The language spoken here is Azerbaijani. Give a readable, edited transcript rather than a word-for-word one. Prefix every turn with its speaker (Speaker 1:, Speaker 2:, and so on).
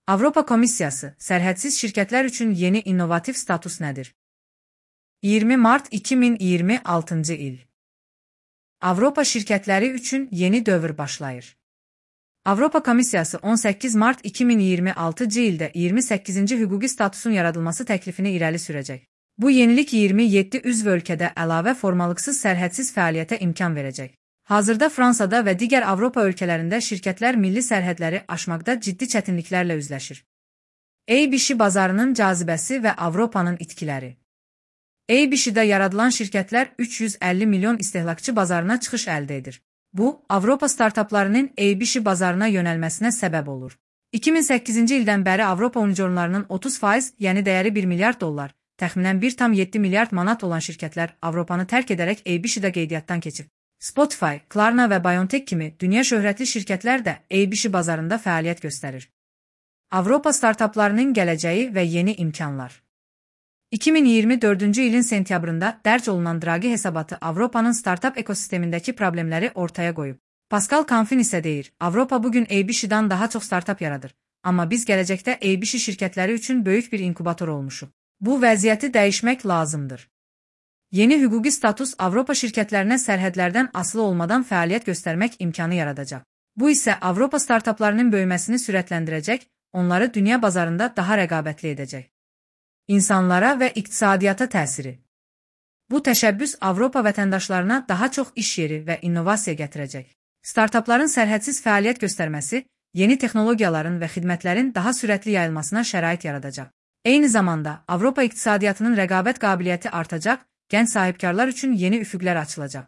Speaker 1: Avropa Komissiyası, sərhədsiz şirkətlər üçün yeni innovativ status nədir? 20 mart 2026 il. Avropa şirkətləri üçün yeni dövr başlayır. Avropa Komissiyası 18 mart 2026 ildə 28-ci hüquqi statusun yaradılması təklifini irəli sürəcək. Bu yenilik 27 üzv ölkədə əlavə formalıqsız sərhədsiz fəaliyyətə imkan verəcək. Hazırda Fransada və digər Avropa ölkələrində şirkətlər milli sərhədləri aşmaqda ciddi çətinliklərlə üzləşir. ABC bazarının cazibəsi və Avropanın itkiləri. ABC-də yaradılan şirkətlər 350 milyon istehlakçı bazarına çıxış əldə edir. Bu, Avropa startaplarının ABC bazarına yönəlməsinə səbəb olur. 2008-ci ildən bəri Avropa unicornlarının 30%, yəni dəyəri 1 milyard dollar, təxminən 1,7 milyard manat olan şirkətlər Avropanı tərk edərək ABC-də qeydiyyatdan keçib. Spotify, Klarna və BioNTech kimi dünya şöhrətli şirkətlər də ABC bazarında fəaliyyət göstərir. Avropa startaplarının gələcəyi və yeni imkanlar. 2024-cü ilin sentyabrında dərc olunan Draghi hesabatı Avropanın startap ekosistemindəki problemləri ortaya qoyub. Pascal Canfin isə deyir, Avropa bugün ABC-dan daha çox startap yaradır, amma biz gələcəkdə ABC şirkətləri üçün böyük bir inkubator olmuşuq. Bu vəziyyəti dəyişmək lazımdır. Yeni hüquqi status Avropa şirkətlərinə sərhədlərdən asılı olmadan fəaliyyət göstərmək imkanı yaradacaq. Bu isə Avropa startaplarının böyüməsini sürətləndirəcək, onları dünya bazarında daha rəqabətli edəcək. İnsanlara və iqtisadiyyata təsiri. Bu təşəbbüs Avropa vətəndaşlarına daha çox iş yeri və innovasiya gətirəcək. Startapların sərhədsiz fəaliyyət göstərməsi, yeni texnologiyaların və xidmətlərin daha sürətli yayılmasına şərait yaradacaq. Eyni zamanda Avropa iqtisadiyyatının rəqabət qabiliyyəti artacaq, gənc sahibkarlar üçün yeni üfüqlər açılacaq.